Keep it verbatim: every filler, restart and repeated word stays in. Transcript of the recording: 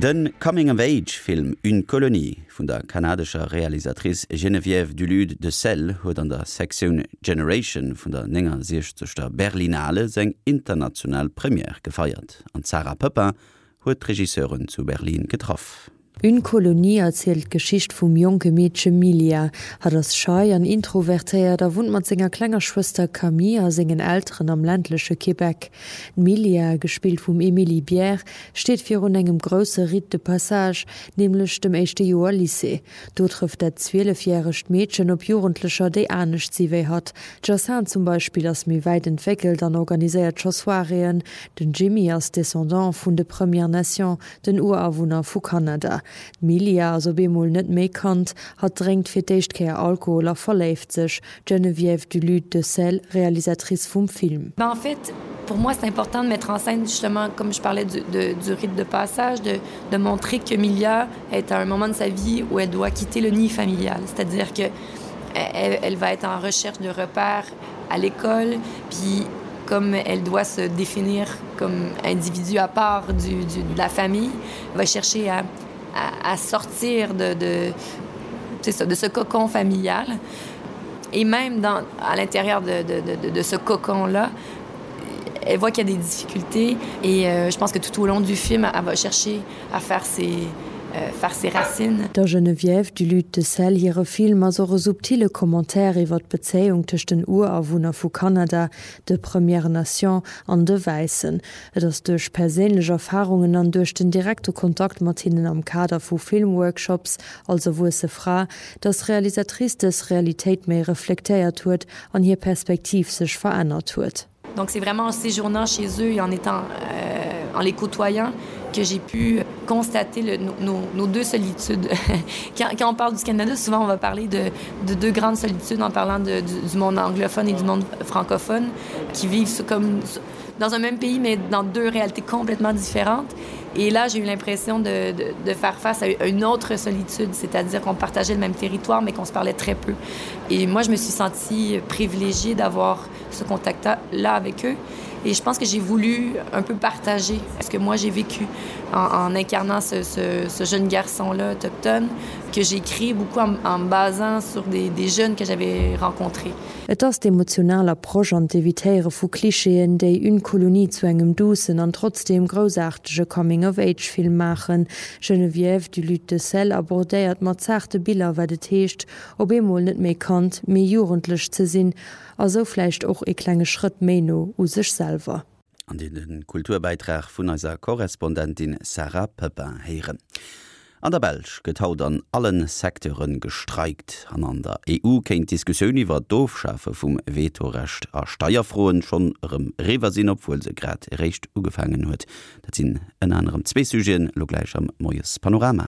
De Coming-of-Age-Film Une colonie vun der kanadescher Realisatrice Geneviève Dulude de Celles huet an der Sektioun Generation vun der néngasechzegster Berlinale seng international Première gefeiert. An d'Sarah Poepping huet d'Regisseuren zu Berlin getraff. Une colonie erzielt d'Geschicht vum jonke Meedche Milia. Hatt ass schei an introvertéiert a wunnt mat senger klenger Schwëster Camille a sengen Elteren am ländleche Québec. D'Milia, gespillt vum Émilie Bière, steet virun engem grousse Rite de passage, nämlech dem éischte Joer Lycée. Do trëfft dat zwielefjäregt Meedchen op Jugendlecher, déi anescht si wéi hatt. D'Jacinthe zum Beispill ass méi wäit entwéckelt an organiséiert scho Soiréeën. Den Jimmy ass Descendant vun de Premières Nations, den Urawunner vu Kanada. D'Milia ass op eemol net méi Kand, hatt drénkt fir d'éischt Kéier Alkohol a verléift sech. Geneviève Dulude de Celles, Realisatrice vum Film. Ben en fait, pour moi, c'est important de mettre en scène justement, comme je parlais du, de, du rite de passage, de, de montrer que Milia est à un moment de sa vie où elle doit quitter le nid familial. C'est-à-dire que elle, elle va être en recherche de repères à l'école, puis comme elle doit se définir comme individu à part du, du, de la famille, va chercher à, à, à sortir de, de, ça, de ce cocon familial. Et même dans, à l'intérieur de, de, de, de ce cocon-là, elle voit qu'il y a des difficultés et euh, je pense que tout au long du film, elle va chercher à faire ses, euh, faire ses racines. Der Geneviève Dulude de Celles hire Film ass och e subtile Commentaire iwwer d'Bezéiung tëscht den Urawunner vu Kanada, de Premières Nations an de Wäissen. Et ass duerch perséinlech Erfarungen an duerch den direkte Kontakt mat hinnen am Kader vu Filmworkshops als erwuesse Fra, datt d'Realisatrice dës Realitéit méi reflektéiert huet an hir Perspektiv sech verännert huet. Donc c'est vraiment en séjournant chez eux et en étant euh, en les côtoyant que j'ai pu constater le, nos, nos deux solitudes. quand, quand on parle du Canada, souvent on va parler de, de deux grandes solitudes en parlant de, du, du monde anglophone et du monde francophone qui vivent comme dans un même pays mais dans deux réalités complètement différentes. Et là, j'ai eu l'impression de, de, de faire face à une autre solitude, c'est-à-dire qu'on partageait le même territoire mais qu'on se parlait très peu. Et moi, je me suis sentie privilégiée d'avoir ce contact-là avec eux. Et je pense que j'ai voulu un peu partager ce que moi j'ai vécu en, en incarnant ce, ce, ce jeune garçon-là autochtone que j'ai écrit beaucoup en, en me basant sur des, des jeunes que j'avais rencontrés. Et ass d'emotional Approche an d'Evitéiere vu Klischeeën, déi Une colonie zu engem duussen an trotzdeem groussaartege Coming-of-Age-Film maachen. Geneviève Dulude de Celles abordéiert mat zaarte Biller, wat et heescht, op eemol net méi Kand, mee Jugendlech ze sinn, a sou vläicht och e klenge Schrëtt méi no u sech selwer. An den Kulturbäitrag vun eiser Korrespondentin Sarah Poepping héieren. An der Belsch gëtt haut an allen Secteure gestreikt. An an der E U kéint d'Diskussioun iwwer d'Ofschafe vum Vetorecht a Steierfroen schonn erëm eriwwer sinn, obwuel se grad eréischt ugefaangen huet. Dat sinn ënner anerem zwee Sujeten, lo gläich am Moiespanorama.